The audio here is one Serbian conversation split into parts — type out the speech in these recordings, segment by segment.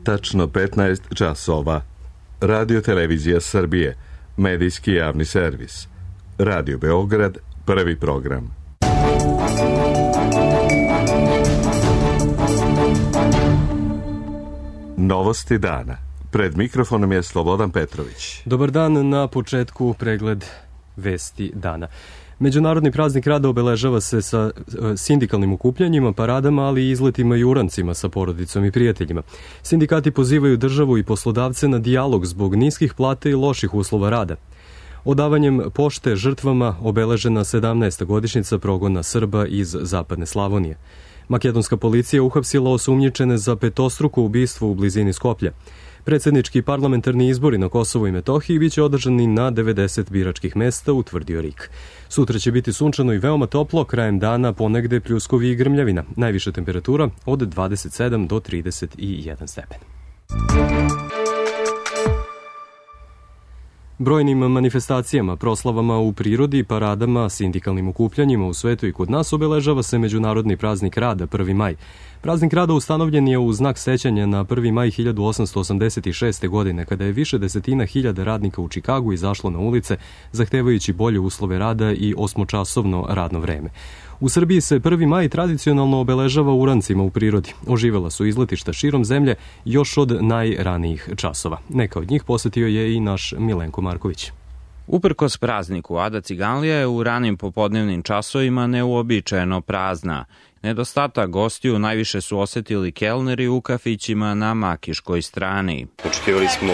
Tačno 15 časova. Radio Televizija Srbije, medijski javni servis. Radio Beograd, prvi program. Novosti dana. Pred mikrofonom je Slobodan Petrović. Dobar dan, na početku pregled vesti dana. Međunarodni praznik rada obeležava se sa sindikalnim okupljanjima, paradama, ali i izletima i urancima sa porodicom i prijateljima. Sindikati pozivaju državu i poslodavce na dijalog zbog niskih plata i loših uslova rada. Odavanjem pošte žrtvama obeležena 17. godišnjica progona Srba iz Zapadne Slavonije. Makedonska policija uhapsila osumnjičene za petostruko ubistvo u blizini Skoplja. Predsjednički parlamentarni izbori na Kosovu i Metohiji biće održani na 90 biračkih mesta, utvrdio RIK. Sutra će biti sunčano i veoma toplo, krajem dana ponegde pljuskovi i grmljavina. Najviša temperatura od 27 do 31 stepen. Brojnim manifestacijama, proslavama u prirodi, paradama, sindikalnim okupljanjima u svetu i kod nas obeležava se Međunarodni praznik rada 1. maj. Praznik rada ustanovljen je u znak sećanja na 1. maj 1886. godine, kada je više desetina hiljada radnika u Čikagu izašlo na ulice, zahtevajući bolje uslove rada i 8-časovno radno vreme. U Srbiji se 1. maj tradicionalno obeležava urancima u prirodi. Oživela su izletišta širom zemlje još od najranijih časova. Neka od njih posetio je i naš Milenko Marković. Uprkos prazniku, Ada Ciganlija je u ranim popodnevnim časovima neuobičajeno prazna. Nedostatak gostiju najviše su osetili kelneri u kafićima na Makiškoj strani. Očekivali smo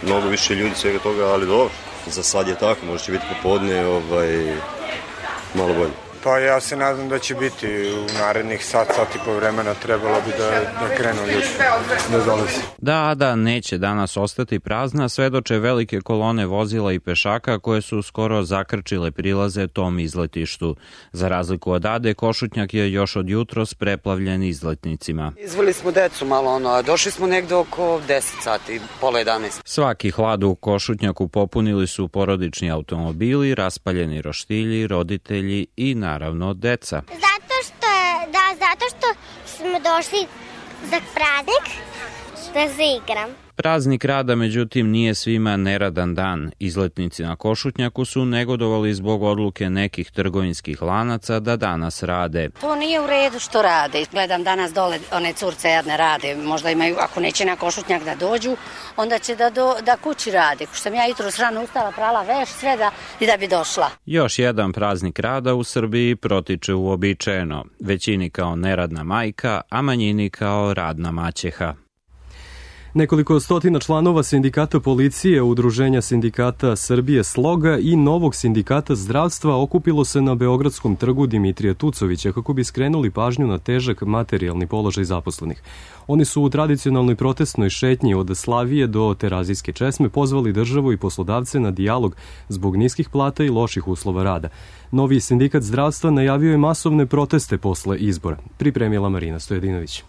mnogo više ljudi, svega toga, ali dobro. Za sad je tako, možda će biti popodne malo bolje. Pa ja se nadam da će biti u narednih sat i po vremena, trebalo bi da krenu ljudi, da dolazi. Da Ada neće danas ostati prazna, svedoče velike kolone vozila i pešaka koje su skoro zakrčile prilaze tom izletištu. Za razliku od Ade, Košutnjak je još od jutros preplavljen izletnicima. Izveli smo decu malo, a došli smo negde oko 10 sati, pola 11. Svaki hlad u Košutnjaku popunili su porodični automobili, raspaljeni roštilji, roditelji i naravno deca. Zato što smo došli za praznik da se igram. Praznik rada, međutim, nije svima neradan dan. Izletnici na Košutnjaku su negodovali zbog odluke nekih trgovinskih lanaca da danas rade. To nije u redu što rade. Gledam danas dole, one curce jadne rade. Možda imaju, ako neće na Košutnjak da dođu, onda će da kući rade. Ko što sam ja jutros rano ustala, prala veš, sve da bi došla. Još jedan praznik rada u Srbiji protiče uobičajeno. Većini kao neradna majka, a manjini kao radna maćeha. Nekoliko stotina članova sindikata policije, Udruženja sindikata Srbije Sloga i novog sindikata zdravstva okupilo se na Beogradskom trgu Dimitrija Tucovića kako bi skrenuli pažnju na težak materijalni položaj zaposlenih. Oni su u tradicionalnoj protestnoj šetnji od Slavije do Terazijske česme pozvali državu i poslodavce na dijalog zbog niskih plata i loših uslova rada. Novi sindikat zdravstva najavio je masovne proteste posle izbora. Pripremila Marina Stojedinović.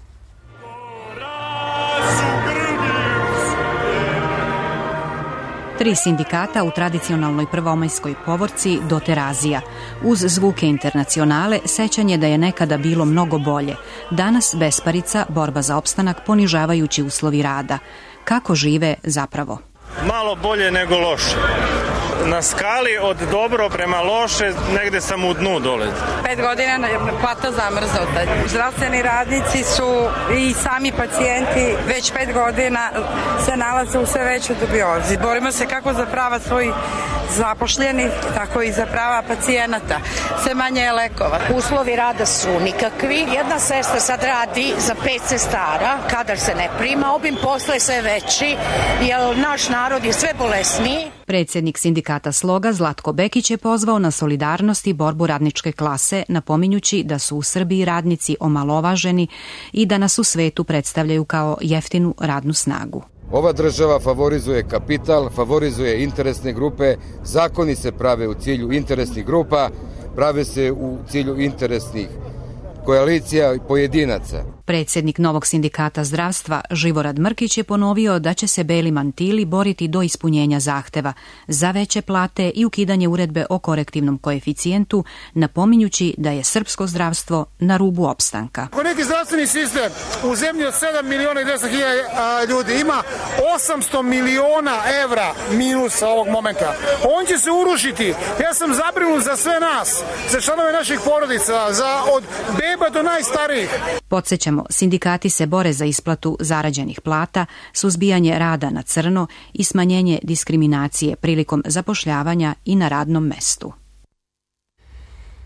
Tri sindikata u tradicionalnoj prvomajskoj povorci do Terazija. Uz zvuke internacionale, sećanje da je nekada bilo mnogo bolje. Danas besparica, borba za opstanak, ponižavajući uslovi rada. Kako žive zapravo? Malo bolje nego loše. Na skali od dobro prema loše, negde sam u dnu dole. 5 godina plata zamrznuta. Zdravstveni radnici su i sami pacijenti već 5 godina se nalaze u sve većoj dubiozi. Borimo se kako za prava svojih zapošljenih, tako i za prava pacijenata. Sve manje je lekova. Uslovi rada su nikakvi. Jedna sestra sad radi za 5 sestara, kadar se ne prima, obim posla je sve veći, jer naš narod je sve bolesniji. Predsjednik sindikata Sloga Zlatko Bekić je pozvao na solidarnost i borbu radničke klase, napominjući da su u Srbiji radnici omalovaženi i da nas u svetu predstavljaju kao jeftinu radnu snagu. Ova država favorizuje kapital, favorizuje interesne grupe, zakoni se prave u cilju interesnih grupa, prave se u cilju interesnih koalicija i pojedinaca. Predsjednik novog sindikata zdravstva Živorad Mrkić je ponovio da će se Beli mantili boriti do ispunjenja zahteva za veće plate i ukidanje uredbe o korektivnom koeficijentu, napominjući da je srpsko zdravstvo na rubu opstanka. Ako neki zdravstveni sistem u zemlji od 7.200.000 ljudi ima 800 miliona evra minusa ovog momenta, on će se urušiti. Ja sam zabrinut za sve nas, za članove naših porodica, od beba do najstarijih. Podsjećamo, sindikati se bore za isplatu zarađenih plata, suzbijanje rada na crno i smanjenje diskriminacije prilikom zapošljavanja i na radnom mestu.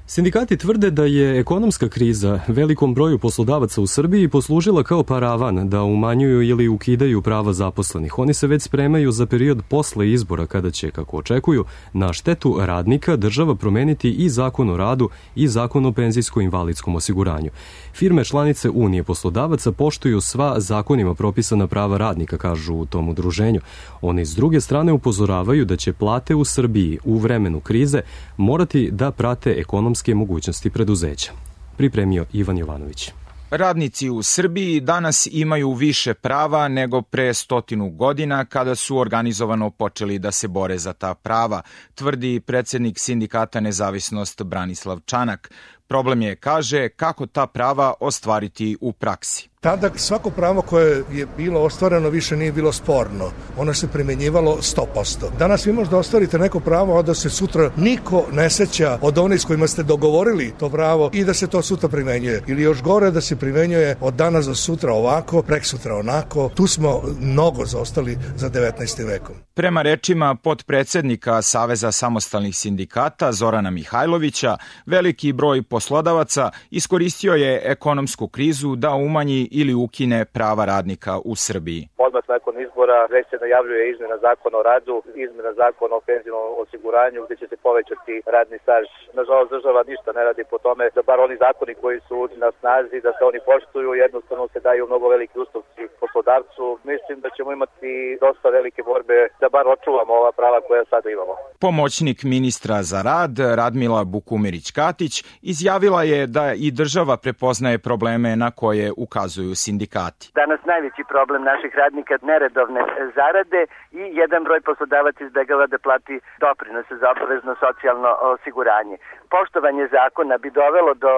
Sindikati tvrde da je ekonomska kriza velikom broju poslodavaca u Srbiji poslužila kao paravan da umanjuju ili ukidaju prava zaposlenih. Oni se već spremaju za period posle izbora kada će, kako očekuju, na štetu radnika država promeniti i Zakon o radu i Zakon o penzijsko-invalidskom osiguranju. Firme članice Unije poslodavaca poštuju sva zakonima propisana prava radnika, kažu u tom udruženju. Oni s druge strane upozoravaju da će plate u Srbiji u vremenu krize morati da prate ekonomske mogućnosti preduzeća. Pripremio Ivan Jovanović. Radnici u Srbiji danas imaju više prava nego pre 100 godina kada su organizovano počeli da se bore za ta prava, tvrdi predsjednik sindikata Nezavisnost Branislav Čanak. Problem je, kaže, kako ta prava ostvariti u praksi. Tada svako pravo koje je bilo ostvareno više nije bilo sporno. Ono se primjenjivalo 100%. Danas vi možda ostvarite neko pravo, a da se sutra niko ne seća od onih s kojima ste dogovorili to pravo i da se to sutra primenjuje. Ili još gore da se primenjuje od danas do sutra ovako, preksutra onako. Tu smo mnogo zaostali za 19. vekom. Prema rečima potpredsednika Saveza samostalnih sindikata Zorana Mihajlovića, veliki broj poslodavaca iskoristio je ekonomsku krizu da umanji ili ukine prava radnika u Srbiji. Odmah nakon izbora već se najavljuje izmena zakona o radu, izmena zakona o penzijskom osiguranju gdje će se povećati radni staž. Nažalost, država ništa ne radi po tome da bar oni zakoni koji su na snazi, da se oni poštuju, jednostavno se daju mnogo veliki ustupci poslodavcu. Mislim da ćemo imati dosta velike borbe da bar očuvamo ova prava koja sada imamo. Pomoćnik ministra za rad Radmila Bukumirić-Katić izjavila je da i država prepoznaje probleme na koje ukazuju sindikati. Danas najveći problem naših radnika neredovne zarade i jedan broj poslodavaca izbegava da plati doprinose za obavezno socijalno osiguranje. Poštovanje zakona bi dovelo do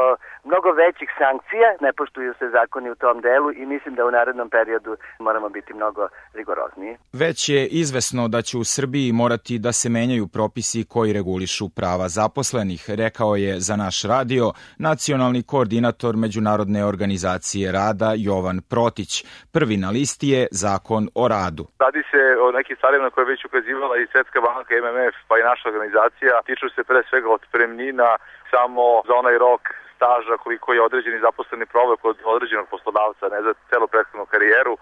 mnogo većih sankcija, ne poštuju se zakoni u tom delu i mislim da u narednom periodu moramo biti mnogo rigorozniji. Već je izvesno da će u Srbiji morati da se menjaju propisi koji regulišu prava zaposlenih, rekao je za naš radio nacionalni koordinator Međunarodne organizacije rada Jovan Protić. Prvi na listi je Zakon o radu. Radi se o nekim stvarima koje je već ukazivala i Svetska banka, MMF, pa i naša organizacija. Tiču se pre svega otpremnina samo za onaj rok staža koliko je određeni zaposleni proveo kod određenog poslodavca, ne za celu prethodnu karijeru.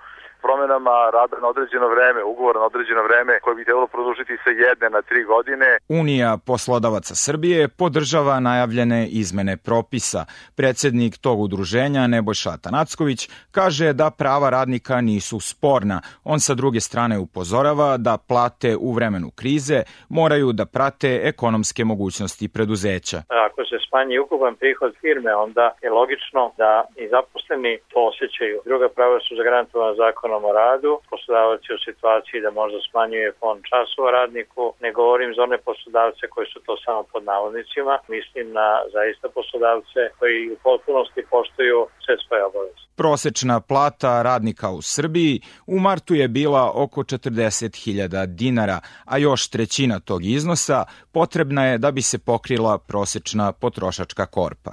Promenama rada na određeno vreme, ugovora na određeno vreme koje bi trebalo produžiti sa 1 na 3 godine. Unija poslodavaca Srbije podržava najavljene izmene propisa. Predsjednik tog udruženja Nebojša Tanacković kaže da prava radnika nisu sporna. On sa druge strane upozorava da plate u vremenu krize moraju da prate ekonomske mogućnosti preduzeća. Ako se smanji ukupan prihod firme, onda je logično da i zaposleni to osjećaju. Druga prava su zagarantovana zakonom o radu, poslodavac je u situaciji da možda smanjuje fond časova radniku, ne govorim za one poslodavce koji su to samo pod navodnicima, mislim na zaista poslodavce koji u potpunosti poštuju sve svoje obaveze. Prosečna plata radnika u Srbiji u martu je bila oko 40.000 dinara, a još trećina tog iznosa potrebna je da bi se pokrila prosečna potrošačka korpa.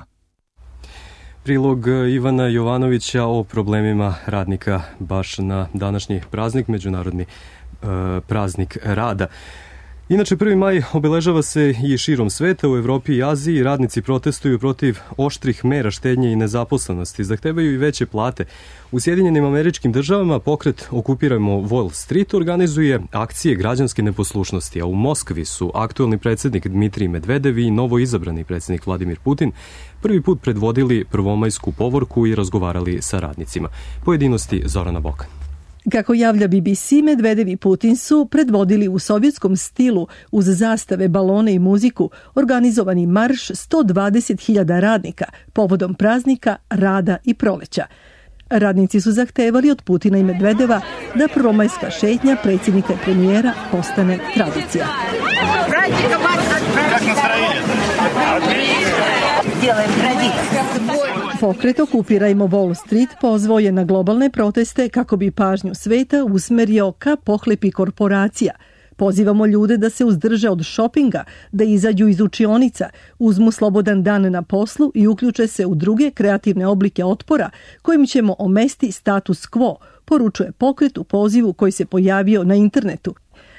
Prilog Ivana Jovanovića o problemima radnika baš na današnji praznik, Međunarodni praznik rada. Inače, 1. maj obeležava se i širom sveta, u Evropi i Aziji. Radnici protestuju protiv oštrih mera štednje i nezaposlenosti, zahtevaju i veće plate. U Sjedinjenim Američkim Državama pokret Okupirajmo Wall Street organizuje akcije građanske neposlušnosti, a u Moskvi su aktuelni predsjednik Dmitrij Medvedev i novoizabrani predsjednik Vladimir Putin prvi put predvodili prvomajsku povorku i razgovarali sa radnicima. Pojedinosti Zorana Bokan. Kako javlja BBC, Medvedev i Putin su predvodili u sovjetskom stilu uz zastave, balone i muziku organizovani marš 120.000 radnika povodom praznika rada i proleća. Radnici su zahtevali od Putina i Medvedeva da prvomajska šetnja predsjednika i premijera postane tradicija. Pokret Okupirajmo Wall Street pozvao je na globalne proteste kako bi pažnju sveta usmerio ka pohlepi korporacija. Pozivamo ljude da se uzdrže od šopinga, da izađu iz učionica, uzmu slobodan dan na poslu i uključe se u druge kreativne oblike otpora kojim ćemo omesti status quo, poručuje pokret u pozivu koji se pojavio na internetu.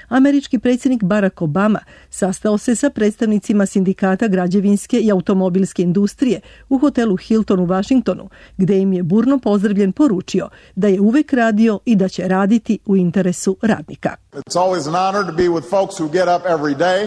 Američki predsjednik Barack Obama sastao se sa predstavnicima sindikata građevinske i automobilske industrije u hotelu Hilton u Washingtonu, gde im je burno pozdravljen poručio da je uvek radio i da će raditi u interesu radnika.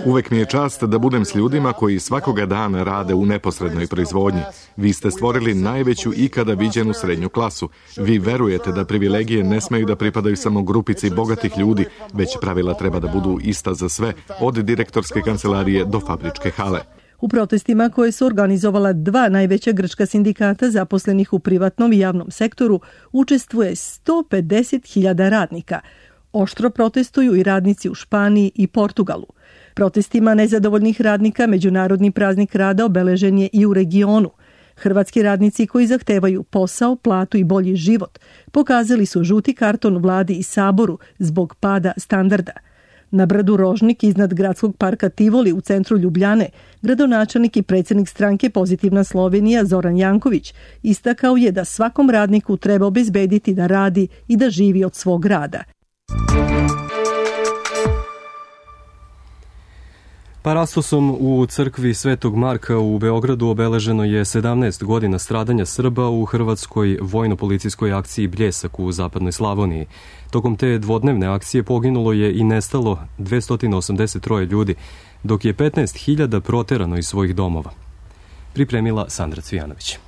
Uvek mi je čast da budem s ljudima koji svakoga dana rade u neposrednoj proizvodnji. Vi ste stvorili najveću ikada viđenu srednju klasu. Vi verujete da privilegije ne smeju da pripadaju samo grupici bogatih ljudi, već pravila treba da budu ista za sve, od direktorske kancelarije do fabričke hale. U protestima koje su organizovala dva najveća grčka sindikata zaposlenih u privatnom i javnom sektoru učestvuje 150.000 radnika. Oštro protestuju i radnici u Španiji i Portugalu. Protestima nezadovoljnih radnika Međunarodni praznik rada obeležen je i u regionu. Hrvatski radnici koji zahtevaju posao, platu i bolji život pokazali su žuti karton vladi i saboru zbog pada standarda. Na brdu Rožnik iznad gradskog parka Tivoli u centru Ljubljane, gradonačelnik i predsjednik stranke Pozitivna Slovenija Zoran Janković istakao je da svakom radniku treba obezbediti da radi i da živi od svog rada. Parastosom u crkvi Svetog Marka u Beogradu obeleženo je 17 godina stradanja Srba u hrvatskoj vojno-policijskoj akciji Bljesak u zapadnoj Slavoniji. Tokom te dvodnevne akcije poginulo je i nestalo 283 ljudi, dok je 15.000 proterano iz svojih domova. Pripremila Sandra Cvijanović.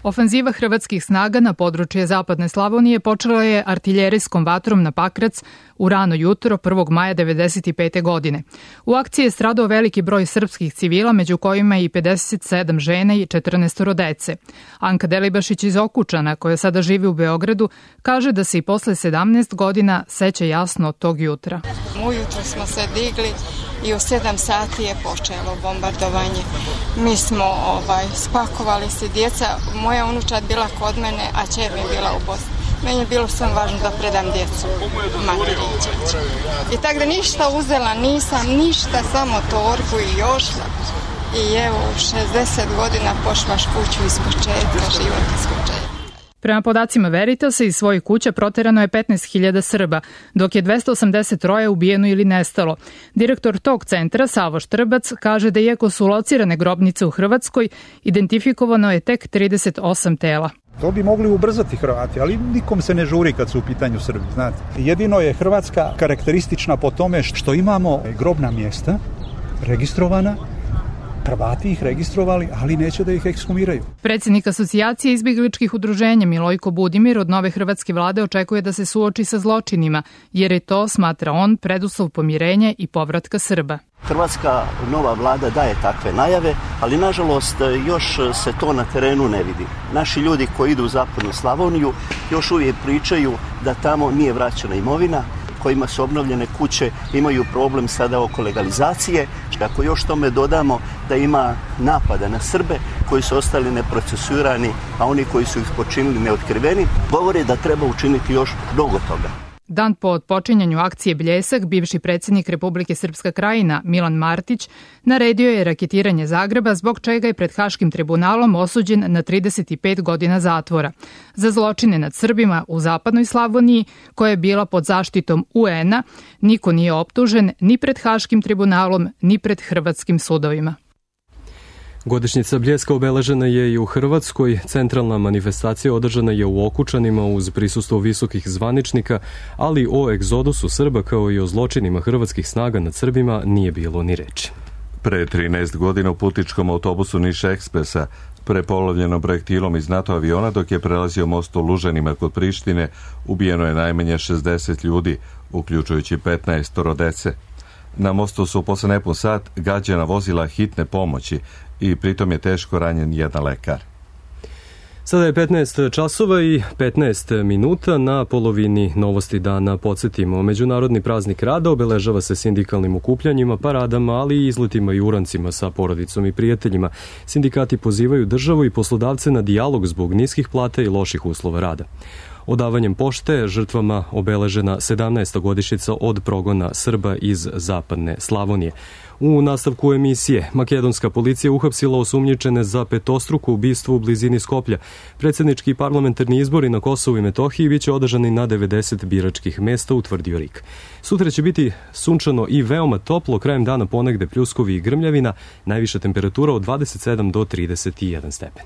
Ofanziva hrvatskih snaga na područje zapadne Slavonije počela je artiljerijskom vatrom na Pakrac u rano jutro 1. maja 1995. godine. U akciji je stradao veliki broj srpskih civila, među kojima i 57 žena i 14 dece. Anka Delibašić iz Okučana, koja sada živi u Beogradu, kaže da se i posle 17 godina seća jasno od tog jutra. Ujutro smo se digli i u 7 sati je počelo bombardovanje. Mi smo spakovali se, djeca, moja unučad bila kod mene, a čer mi bila u Bosni. Meni je bilo sam važno da predam djecu materi. I tako da ništa uzela nisam, ništa, samo torbu i ošla. I evo, 60 godina pošlaš kuću iz početka, život iz početka. Prema podacima Veritasa, iz svojih kuća proterano je 15.000 Srba, dok je 283 ubijeno ili nestalo. Direktor tog centra, Savo Štrbac, kaže da iako su locirane grobnice u Hrvatskoj, identifikovano je tek 38 tela. To bi mogli ubrzati Hrvati, ali nikom se ne žuri kad su u pitanju Srbi, znate. Jedino je Hrvatska karakteristična po tome što imamo grobna mjesta registrovana, Hrvati ih registrovali, ali neće da ih ekshumiraju. Predsjednik asocijacije izbjegličkih udruženja Milojko Budimir od nove hrvatske vlade očekuje da se suoči sa zločinima, jer je to, smatra on, preduslov pomirenja i povratka Srba. Hrvatska nova vlada daje takve najave, ali nažalost još se to na terenu ne vidi. Naši ljudi koji idu u zapadnu Slavoniju još uvijek pričaju da tamo nije vraćena imovina, kojima su obnovljene kuće, imaju problem sada oko legalizacije. Ako još tome dodamo da ima napada na Srbe koji su ostali neprocesuirani, a oni koji su ih počinili neotkriveni, govore da treba učiniti još mnogo toga. Dan po otpočinjanju akcije Bljesak, bivši predsjednik Republike Srpska Krajina Milan Martić naredio je raketiranje Zagreba, zbog čega je pred Haškim tribunalom osuđen na 35 godina zatvora. Za zločine nad Srbima u zapadnoj Slavoniji, koja je bila pod zaštitom UN-a, niko nije optužen ni pred Haškim tribunalom, ni pred hrvatskim sudovima. Godišnjica Bljeska obeležena je i u Hrvatskoj. Centralna manifestacija održana je u Okučanima uz prisustvo visokih zvaničnika, ali o egzodusu Srba kao i o zločinima hrvatskih snaga nad Srbima nije bilo ni reči. Pre 13 godina u putničkom autobusu Niš Ekspresa, prepolovljenom projektilom iz NATO aviona dok je prelazio most u Lužanima kod Prištine, ubijeno je najmanje 60 ljudi, uključujući 15 dece. Na mostu su posle nepun sat gađana vozila hitne pomoći i pritom je teško ranjen jedan lekar. Sada je 15 časova i 15 minuta. Na polovini novosti dana podsjetimo. Međunarodni praznik rada obeležava se sindikalnim okupljanjima, paradama, ali i izletima i urancima sa porodicom i prijateljima. Sindikati pozivaju državu i poslodavce na dijalog zbog niskih plata i loših uslova rada. Odavanjem pošte žrtvama obeležena 17. godišnjica od progona Srba iz zapadne Slavonije. U nastavku emisije makedonska policija uhapsila osumnjičene za petostruko ubistvo u blizini Skoplja. Predsjednički i parlamentarni izbori na Kosovu i Metohiji biće održani na 90 biračkih mesta, utvrdio RIK. Sutra će biti sunčano i veoma toplo, krajem dana ponegde pljuskovi i grmljavina, najviša temperatura od 27 do 31 stepen.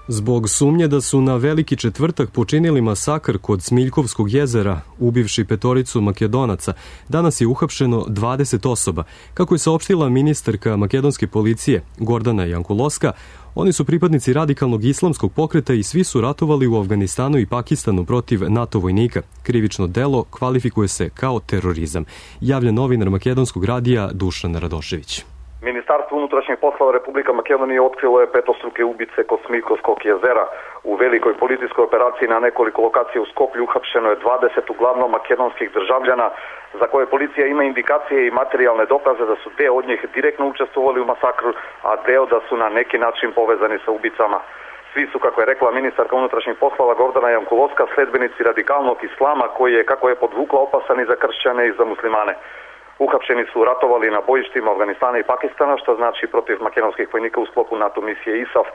Zbog sumnje da su na Veliki četvrtak počinili masakr kod Smiljkovskog jezera, ubivši petoricu Makedonaca, danas je uhapšeno 20 osoba. Kako je saopštila ministarka makedonske policije Gordana Jankulovska, oni su pripadnici radikalnog islamskog pokreta i svi su ratovali u Afganistanu i Pakistanu protiv NATO vojnika. Krivično delo kvalifikuje se kao terorizam, javlja novinar makedonskog radija Dušan Radošević. Ministarstvo unutrašnjih poslova Republika Makedonije otkrilo je petostruke ubice kod Smiljkovskog jezera. U velikoj policijskoj operaciji na nekoliko lokacija u Skoplju uhapšeno je 20 uglavnom makedonskih državljana za koje policija ima indikacije i materijalne dokaze da su deo od njih direktno učestvovali u masakru, a deo da su na neki način povezani sa ubicama. Svi su, kako je rekla ministarka unutrašnjih poslova Gordana Jankulovska, sledbenici radikalnog islama koji je, kako je podvukla, opasan i za kršćane i za muslimane. Uhapšeni su ratovali na bojištima Afganistana i Pakistana, što znači protiv makedonskih vojnika u sklopu NATO misije ISAF.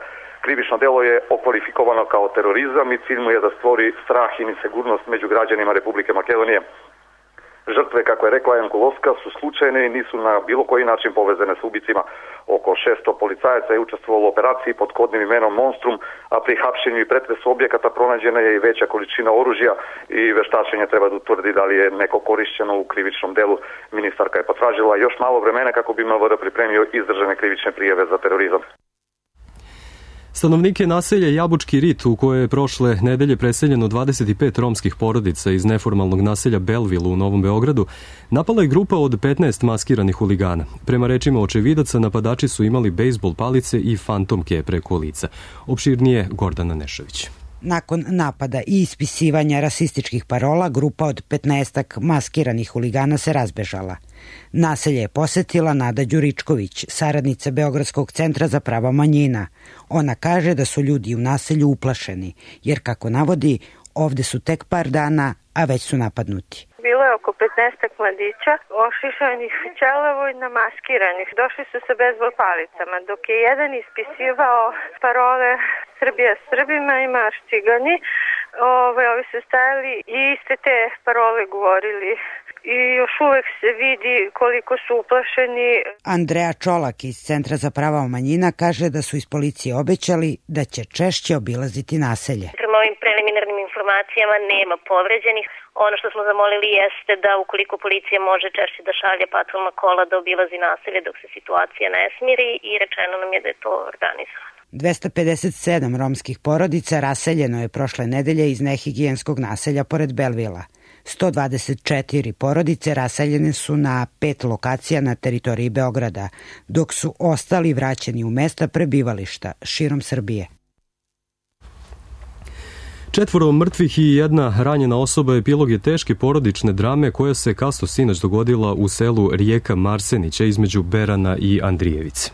Krivično delo je okvalifikovano kao terorizam i cilj mu je da stvori strah i nesigurnost među građanima Republike Makedonije. Žrtve, kako je rekla Jankulovska, su slučajne i nisu na bilo koji način povezane s ubicima. Oko 600 policajaca je učestvovalo u operaciji pod kodnim imenom Monstrum, a pri hapšenju i pretresu objekata pronađena je i veća količina oružja i veštačenje treba da utvrdi da li je neko korišćeno u krivičnom delu. Ministarka je potražila još malo vremena kako bi MVD pripremio izdržane krivične prijave za terorizam. Stanovnike naselja Jabučki rit, u koje je prošle nedelje preseljeno 25 romskih porodica iz neformalnog naselja Belville u Novom Beogradu, napala je grupa od 15 maskiranih huligana. Prema rečima očevidaca, napadači su imali bejsbol palice i fantomke preko lica. Opširnije Gordana Nešović. Nakon napada i ispisivanja rasističkih parola, grupa od 15 maskiranih huligana se razbežala. Naselje je posetila Nada Đuričković, saradnica Beogradskog centra za prava manjina. Ona kaže da su ljudi u naselju uplašeni, jer kako navodi, ovde su tek par dana, a već su napadnuti. Bilo je oko 15 mladića, ošišanih ćelavo i namaskiranih. Došli su sa bejzbol palicama, dok je jedan ispisivao parole Srbija Srbima i marš cigani. Ovi su stajali i iste te parole govorili. I još uvek se vidi koliko su uplašeni. Andreja Čolak iz Centra za prava manjina kaže da su iz policije obećali da će češće obilaziti naselje. Prema ovim preliminarnim informacijama nema povređenih. Ono što smo zamolili jeste da ukoliko policija može češće da šalje patrolna kola da obilazi naselje dok se situacija ne smiri i rečeno nam je da je to organizovano. 257 romskih porodica raseljeno je prošle nedelje iz nehigijenskog naselja pored Belvila. 124 porodice raseljene su na 5 lokacija na teritoriji Beograda, dok su ostali vraćeni u mesta prebivališta širom Srbije. 4 mrtvih i 1 ranjena osoba epilog je teške porodične drame koja se kasno sinoć dogodila u selu Rijeka Marsenića između Berana i Andrijevice.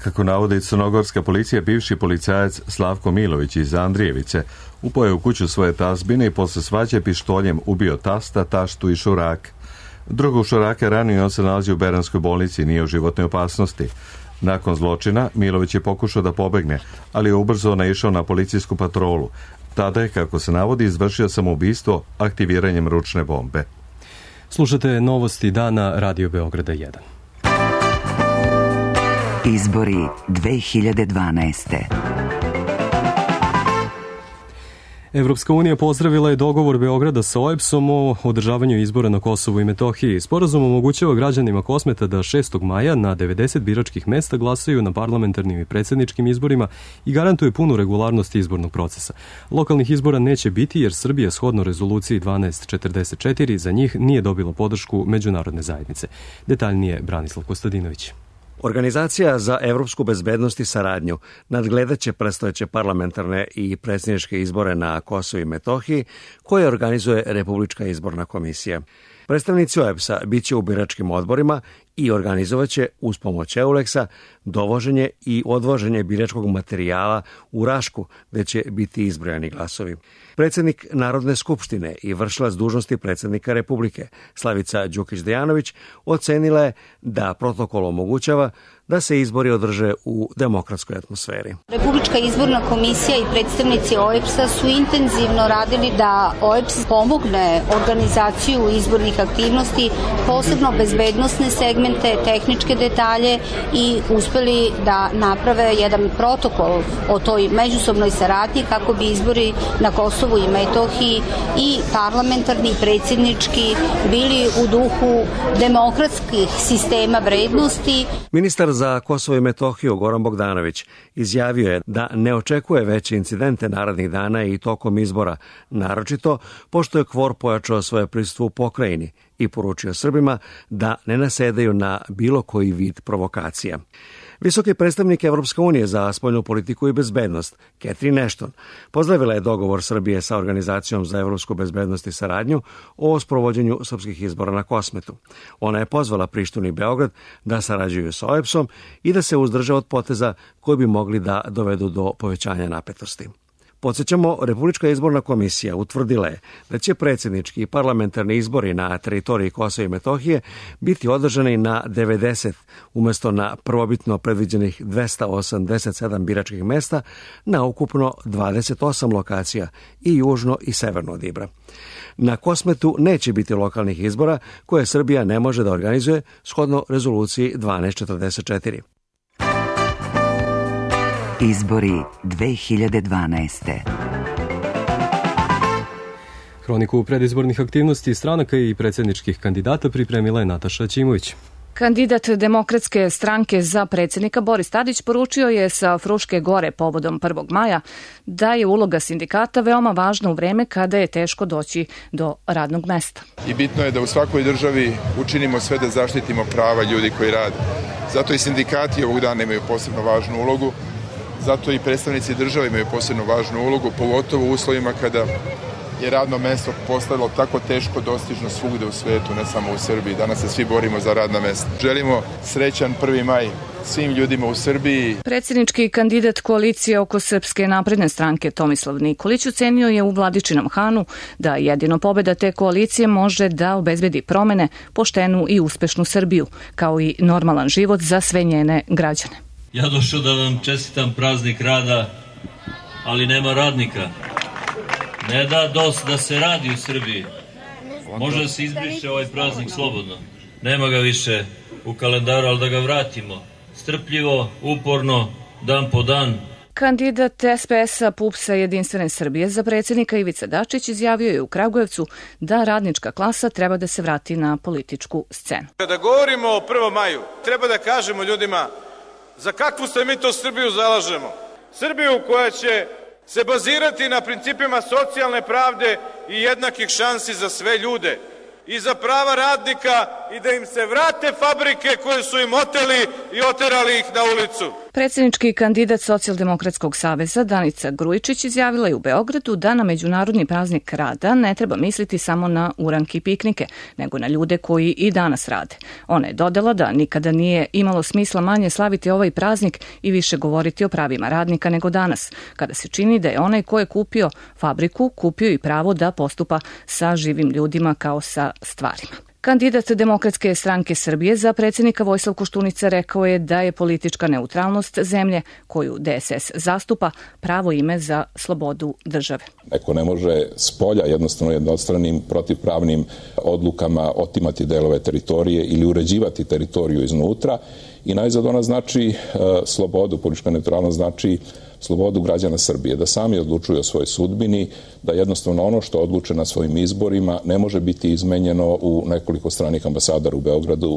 Kako navodi crnogorska policija, bivši policajac Slavko Milović iz Andrijevice upao je u kuću svoje tazbine i posle svađe pištoljem ubio tasta, taštu i šurak. Drugog šuraka ranio i on se nalazi u Beranskoj bolnici i nije u životnoj opasnosti. Nakon zločina, Milović je pokušao da pobegne, ali je ubrzo naišao na policijsku patrolu. Tada je, kako se navodi, izvršio samoubistvo aktiviranjem ručne bombe. Slušate novosti dana Radio Beograda 1. Izbori 2012. Evropska unija pozdravila je dogovor Beograda sa OEBS-om o održavanju izbora na Kosovu i Metohiji. Sporazum omogućava građanima Kosmeta da 6. maja na 90 biračkih mesta glasaju na parlamentarnim i predsjedničkim izborima i garantuje punu regularnost izbornog procesa. Lokalnih izbora neće biti jer Srbija shodno rezoluciji 1244 za njih nije dobila podršku međunarodne zajednice. Detaljnije Branislav Kostadinović. Organizacija za evropsku bezbednost i saradnju nadgledaće predstojeće parlamentarne i predsjedničke izbore na Kosovu i Metohiji, koje organizuje Republička izborna komisija. Predstavnici OEBS-a bit će u biračkim odborima i organizovaće uz pomoć EULEX-a dovoženje i odvoženje biračkog materijala u Rašku, gde će biti izbrojani glasovi. Predsjednik Narodne skupštine i vršilac dužnosti predsjednika Republike, Slavica Đukić-Dejanović, ocenila je da protokol omogućava da se izbori održe u demokratskoj atmosferi. Republička izborna komisija i predstavnici OEBS-a su intenzivno radili da OEBS pomogne organizaciju izbornih aktivnosti, posebno bezbednosne segmente, tehničke detalje i uspeli da naprave jedan protokol o toj međusobnoj saradnji kako bi izbori na Kosovu i Metohiji i parlamentarni i predsjednički bili u duhu demokratskih sistema vrednosti. Ministar za Kosovo i Metohiju Goran Bogdanović izjavio je da ne očekuje veće incidente narednih dana i tokom izbora, naročito pošto je KFOR pojačao svoje prisustvo u pokrajini i poručio Srbima da ne nasedaju na bilo koji vid provokacija. Visoki predstavnik Evropske unije za spoljnu politiku i bezbednost, Catherine Ashton, pozdravila je dogovor Srbije sa Organizacijom za evropsku bezbednost i saradnju o sprovođenju srpskih izbora na Kosmetu. Ona je pozvala Prištinu i Beograd da sarađuju sa OEBS-om i da se uzdrže od poteza koji bi mogli da dovedu do povećanja napetosti. Podsjećamo, Republička izborna komisija utvrdila je da će predsjednički i parlamentarni izbori na teritoriji Kosova i Metohije biti održani na 90 umjesto na prvobitno predviđenih 287 biračkih mesta na ukupno 28 lokacija i južno i severno od Ibra. Na Kosmetu neće biti lokalnih izbora koje Srbija ne može da organizuje shodno rezoluciji 1244. Izbori 2012. Hroniku predizbornih aktivnosti stranaka i predsjedničkih kandidata pripremila je Nataša Ćimović. Kandidat Demokratske stranke za predsjednika Boris Tadić poručio je sa Fruške gore povodom 1. maja da je uloga sindikata veoma važna u vreme kada je teško doći do radnog mesta. I bitno je da u svakoj državi učinimo sve da zaštitimo prava ljudi koji rade. Zato i sindikati ovog dana imaju posebno važnu ulogu. Zato i predstavnici države imaju posebno važnu ulogu, pogotovo u uslovima kada je radno mesto postalo tako teško dostižno svugde u svetu, ne samo u Srbiji. Danas se svi borimo za radna mesta. Želimo srećan 1. maj svim ljudima u Srbiji. Predsjednički kandidat koalicije oko Srpske napredne stranke Tomislav Nikolić ocenio je u Vladičinom Hanu da jedino pobjeda te koalicije može da obezbedi promene, poštenu i uspešnu Srbiju, kao i normalan život za sve njene građane. Ja došao da vam čestitam praznik rada, ali nema radnika. Ne da dost da se radi u Srbiji. Može da se izbriše ovaj praznik slobodno. Nema ga više u kalendaru, ali da ga vratimo. Strpljivo, uporno, dan po dan. Kandidat SPS-a PUPS-a Jedinstvene Srbije za predsjednika Ivica Dačić izjavio je u Kragujevcu da radnička klasa treba da se vrati na političku scenu. Kada govorimo o 1. maju, treba da kažemo ljudima za kakvu se mi to Srbiju zalažemo. Srbiju koja će se bazirati na principima socijalne pravde i jednakih šansi za sve ljude i za prava radnika i da im se vrate fabrike koje su im oteli i oterali ih na ulicu. Predsjednički kandidat Socijaldemokratskog saveza Danica Grujičić izjavila je u Beogradu da na Međunarodni praznik rada ne treba misliti samo na uranke i piknike, nego na ljude koji i danas rade. Ona je dodala da nikada nije imalo smisla manje slaviti ovaj praznik i više govoriti o pravima radnika nego danas, kada se čini da je onaj ko je kupio fabriku, kupio i pravo da postupa sa živim ljudima kao sa stvarima. Kandidat Demokratske stranke Srbije za predsjednika Vojislav Koštunica rekao je da je politička neutralnost zemlje koju DSS zastupa pravo ime za slobodu države. Neko ne može s polja jednostavno jednostranim protivpravnim odlukama otimati delove teritorije ili uređivati teritoriju iznutra i najzad ona znači slobodu, politička neutralnost znači slobodu građana Srbije, da sami odlučuju o svojoj sudbini, da jednostavno ono što odluče na svojim izborima ne može biti izmenjeno u nekoliko stranih ambasadara u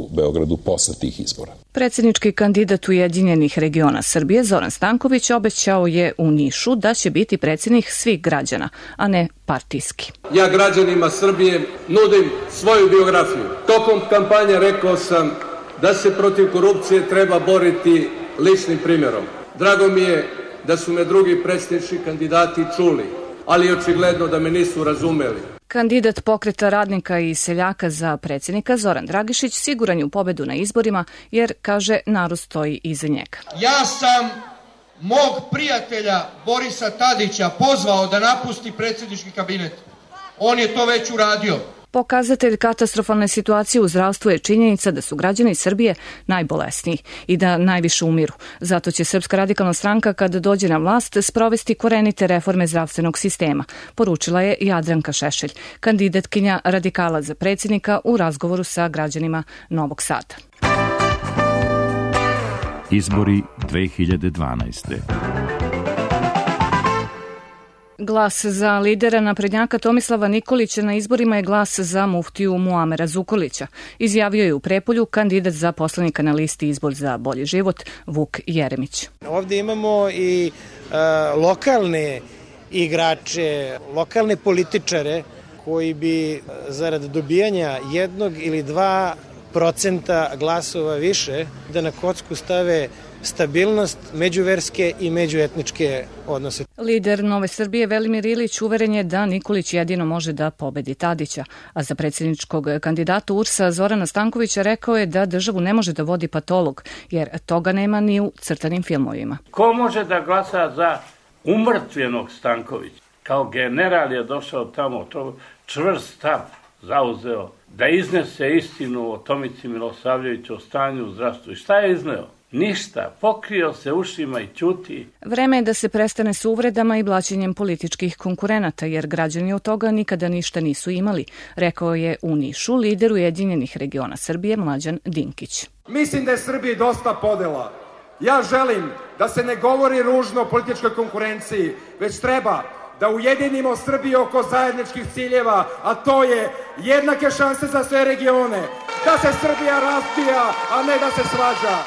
Beogradu posle tih izbora. Predsjednički kandidat Ujedinjenih regiona Srbije Zoran Stanković obećao je u Nišu da će biti predsjednik svih građana, a ne partijski. Ja građanima Srbije nudim svoju biografiju. Tokom kampanje rekao sam da se protiv korupcije treba boriti ličnim primjerom. Drago mi je da su me drugi predsjednički kandidati čuli, ali očigledno da me nisu razumeli. Kandidat Pokreta radnika i seljaka za predsjednika Zoran Dragišić siguran je u pobedu na izborima jer, kaže, narod stoji iza njega. Ja sam mog prijatelja Borisa Tadića pozvao da napusti predsjednički kabinet. On je to već uradio. Pokazatelj katastrofalne situacije u zdravstvu je činjenica da su građani Srbije najbolesniji i da najviše umiru. Zato će Srpska radikalna stranka, kada dođe na vlast, sprovesti korenite reforme zdravstvenog sistema, poručila je Jadranka Šešelj, kandidatkinja radikala za predsjednika u razgovoru sa građanima Novog Sada. Izbori 2012. Glas za lidera naprednjaka Tomislava Nikolića na izborima je glas za muftiju Muamera Zukorlića. Izjavio je u Prijepolju kandidat za poslanika na listi Izbor za bolji život Vuk Jeremić. Ovdje imamo i lokalne igrače, lokalne političare koji bi zarad dobijanja 1 ili 2% glasova više da na kocku stave stabilnost međuverske i međuetničke odnose. Lider Nove Srbije Velimir Ilić uveren je da Nikolić jedino može da pobedi Tadića, a za predsjedničkog kandidata URS-a Zorana Stankovića rekao je da državu ne može da vodi patolog, jer toga nema ni u crtanim filmovima. Ko može da glasa za umrtvenog Stankovića? Kao general je došao tamo, to čvrst stav zauzeo da iznese istinu o Tomici Milosavljeviću, o stanju u zdravstvu. I šta je izneo? Ništa, pokrio se ušima i ćuti. Vreme je da se prestane s uvredama i blaćenjem političkih konkurenata, jer građani od toga nikada ništa nisu imali, rekao je u Nišu lider Ujedinjenih regiona Srbije Mlađan Dinkić. Mislim da je Srbiji dosta podela. Ja želim da se ne govori ružno o političkoj konkurenciji, već treba da ujedinimo Srbiju oko zajedničkih ciljeva, a to je jednake šanse za sve regione, da se Srbija razvija, a ne da se svađa.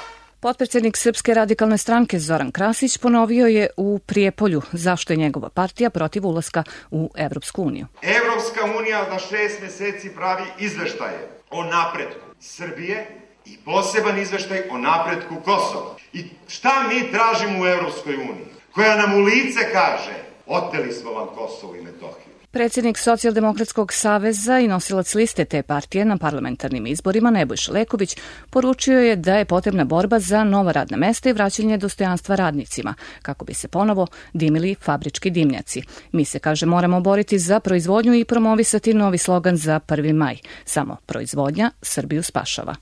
Potpredsjednik Srpske radikalne stranke Zoran Krasić ponovio je u Prijepolju zašto je njegova partija protiv ulaska u Evropsku uniju. Evropska unija na 6 meseci pravi izveštaje o napretku Srbije i poseban izveštaj o napretku Kosova. I šta mi tražimo u Evropskoj uniji? Koja nam u lice kaže: oteli smo vam Kosovo i Metohiju. Predsjednik Socijaldemokratskog saveza i nosilac liste te partije na parlamentarnim izborima Nebojša Leković poručio je da je potrebna borba za nova radna mesta i vraćanje dostojanstva radnicima, kako bi se ponovo dimili fabrički dimnjaci. Mi se, kaže, moramo boriti za proizvodnju i promovisati novi slogan za 1. maj. Samo proizvodnja Srbiju spašava.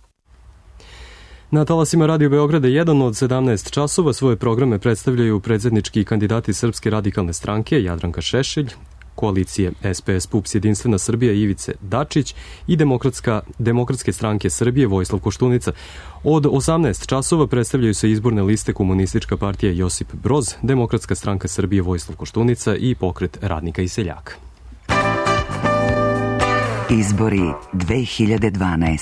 Na talasima Radio Beograda 1 od 17 časova svoje programe predstavljaju predsjednički kandidati Srpske radikalne stranke Jadranka Šešelj, koalicije SPS PUPS Jedinstvena Srbija Ivice Dačić i Demokratske stranke Srbije Vojislav Koštunica. Od 18 časova predstavljaju se izborne liste Komunistička partija Josip Broz, Demokratska stranka Srbije Vojislav Koštunica i Pokret radnika i seljaka. Izbori 2012.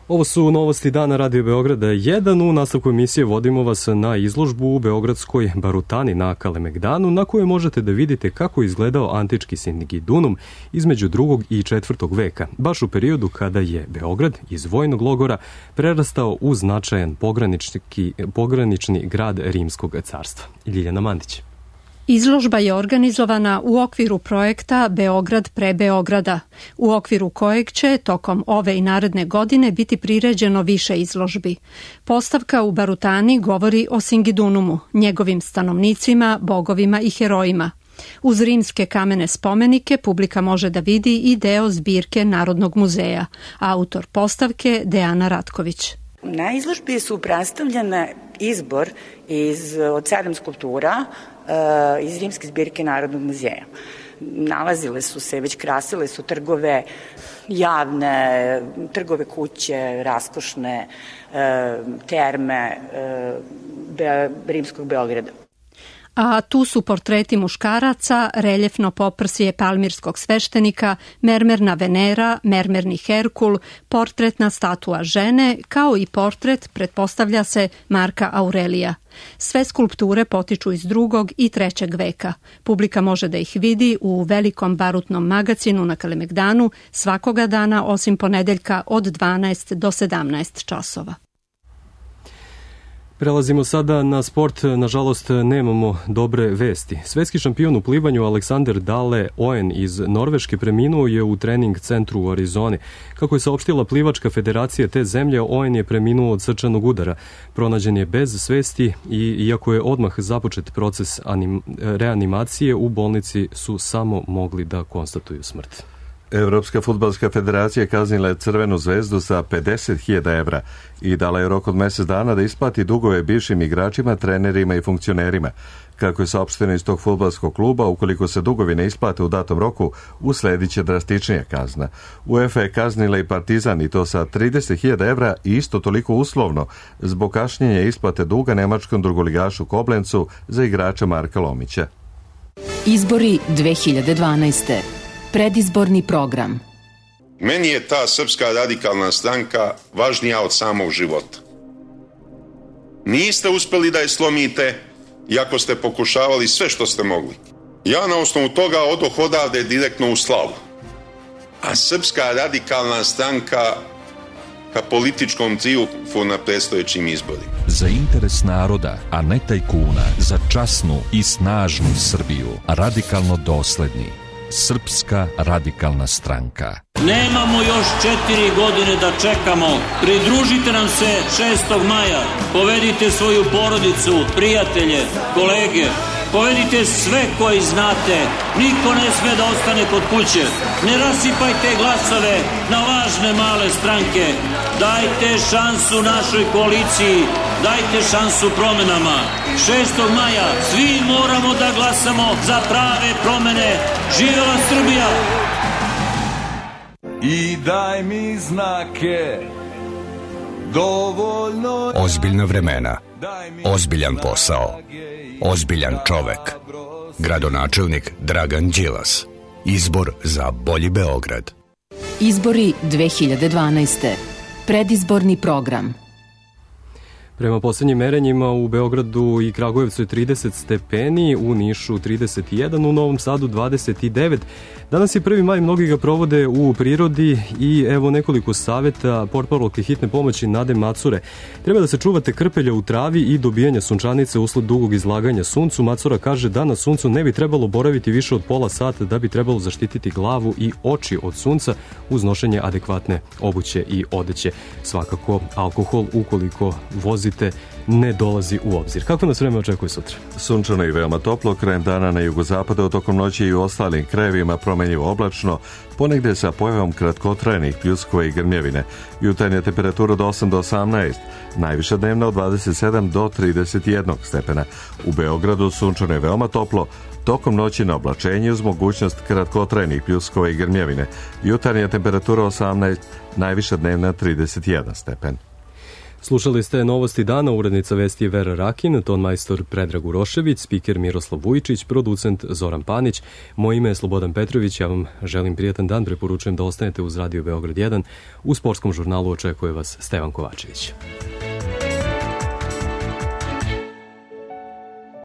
Ovo su novosti dana Radio Beograda 1. U nastavku emisije vodimo vas na izložbu u Beogradskoj Barutani na Kalemegdanu, na kojoj možete da vidite kako je izgledao antički Singidunum između 2. i 4. veka, baš u periodu kada je Beograd iz vojnog logora prerastao u značajan pogranični grad Rimskog carstva. Ljiljana Mandić. Izložba je organizovana u okviru projekta Beograd pre Beograda, u okviru kojeg će tokom ove i naredne godine biti priređeno više izložbi. Postavka u Barutani govori o Singidunumu, njegovim stanovnicima, bogovima i herojima. Uz rimske kamene spomenike publika može da vidi i deo zbirke Narodnog muzeja, autor postavke Dejana Ratković. Na izložbi su predstavljene izbor od 7 skulptura iz rimske zbirke Narodnog muzeja. Nalazile su se, već krasile su trgove javne, trgove kuće, raskošne terme rimskog Beograda. a tu su portreti muškaraca, reljefno poprsje palmirskog sveštenika, mermerna Venera, mermerni Herkul, portretna statua žene, kao i portret, pretpostavlja se, Marka Aurelija. Sve skulpture potiču iz 2. i 3. veka. Publika može da ih vidi u velikom barutnom magacinu na Kalemegdanu svakoga dana osim ponedeljka od 12 do 17 časova. Prelazimo sada na sport. Nažalost, nemamo dobre vesti. Svetski šampion u plivanju Aleksander Dale Oen iz Norveške preminuo je u trening centru u Arizoni. Kako je saopštila plivačka federacija te zemlje, Oen je preminuo od srčanog udara. Pronađen je bez svesti i iako je odmah započet proces reanimacije, u bolnici su samo mogli da konstatuju smrt. Evropska fudbalska federacija kaznila je Crvenu zvezdu za 50.000 evra i dala je rok od mjesec dana da isplati dugove bivšim igračima, trenerima i funkcionerima. Kako je saopšteno iz tog fudbalskog kluba, ukoliko se dugovi ne isplate u datom roku, usledit će drastičnija kazna. UEFA je kaznila i Partizan i to sa 30.000 evra i isto toliko uslovno zbog kašnjenja isplate duga nemačkom drugoligašu Koblencu za igrača Marka Lomića. Izbori 2012. Predizborni program. Meni je ta Srpska radikalna stranka važnija od samog života. Niste uspeli da je slomite, iako ste pokušavali sve što ste mogli. Ja na osnovu toga odoh odavde direktno u slavu. A Srpska radikalna stranka ka političkom triumfu na predstojećim izborima. Za interes naroda, a ne tajkuna, za časnu i snažnu Srbiju, radikalno dosledni. Srpska radikalna stranka. Nemamo još 4 godine da čekamo. Pridružite nam se 6. maja. Povedite svoju porodicu, prijatelje, kolege. Povedite sve koji znate. Niko ne sme da ostane kod kuće. Ne rasipajte glasove na lažne male stranke. Dajte šansu našoj koaliciji. Dajte šansu promenama. 6. maja svi moramo da glasamo za prave promene. Živela Srbija! I daj mi znake dovoljno. Ozbiljna vremena, ozbiljan posao, ozbiljan čovek. Gradonačelnik Dragan Đilas. Izbor za bolji Beograd. Izbori 2012. Predizborni program. Prema posljednjim merenjima u Beogradu i Kragujevcu je 30 stepeni, u Nišu 31, u Novom Sadu 29. Danas je 1. maj, mnogi ga provode u prirodi i evo nekoliko savjeta portparolke hitne pomoći Nade Macure. Treba da se čuvate krpelja u travi i dobijanja sunčanice usled dugog izlaganja suncu. Macura kaže da na suncu ne bi trebalo boraviti više od pola sata, da bi trebalo zaštititi glavu i oči od sunca uz nošenje adekvatne obuće i odeće. Svakako alkohol, ukoliko vozite, ne dolazi u obzir. Kako nas vreme očekuje sutra? Sunčano i veoma toplo, krajem dana na jugozapadu, tokom noći i u ostalim krajevima promenljivo oblačno, ponegde sa pojavom kratkotrajnih pljuskova i grmljevine. Jutarnja temperatura od 8 do 18, najviša dnevna od 27 do 31 stepena. U Beogradu sunčano i veoma toplo, tokom noći na oblačenje uz mogućnost kratkotrajnih pljuskova i grmljevine. Jutarnja temperatura 18, najviša dnevna 31 stepen. Slušali ste novosti dana, urednica vesti je Vera Rakin, tonmajstor Predrag Urošević, spiker Miroslav Vujičić, producent Zoran Panić. Moje ime je Slobodan Petrović, ja vam želim prijatan dan, preporučujem da ostanete uz Radio Beograd 1. U sportskom žurnalu očekuje vas Stevan Kovačević.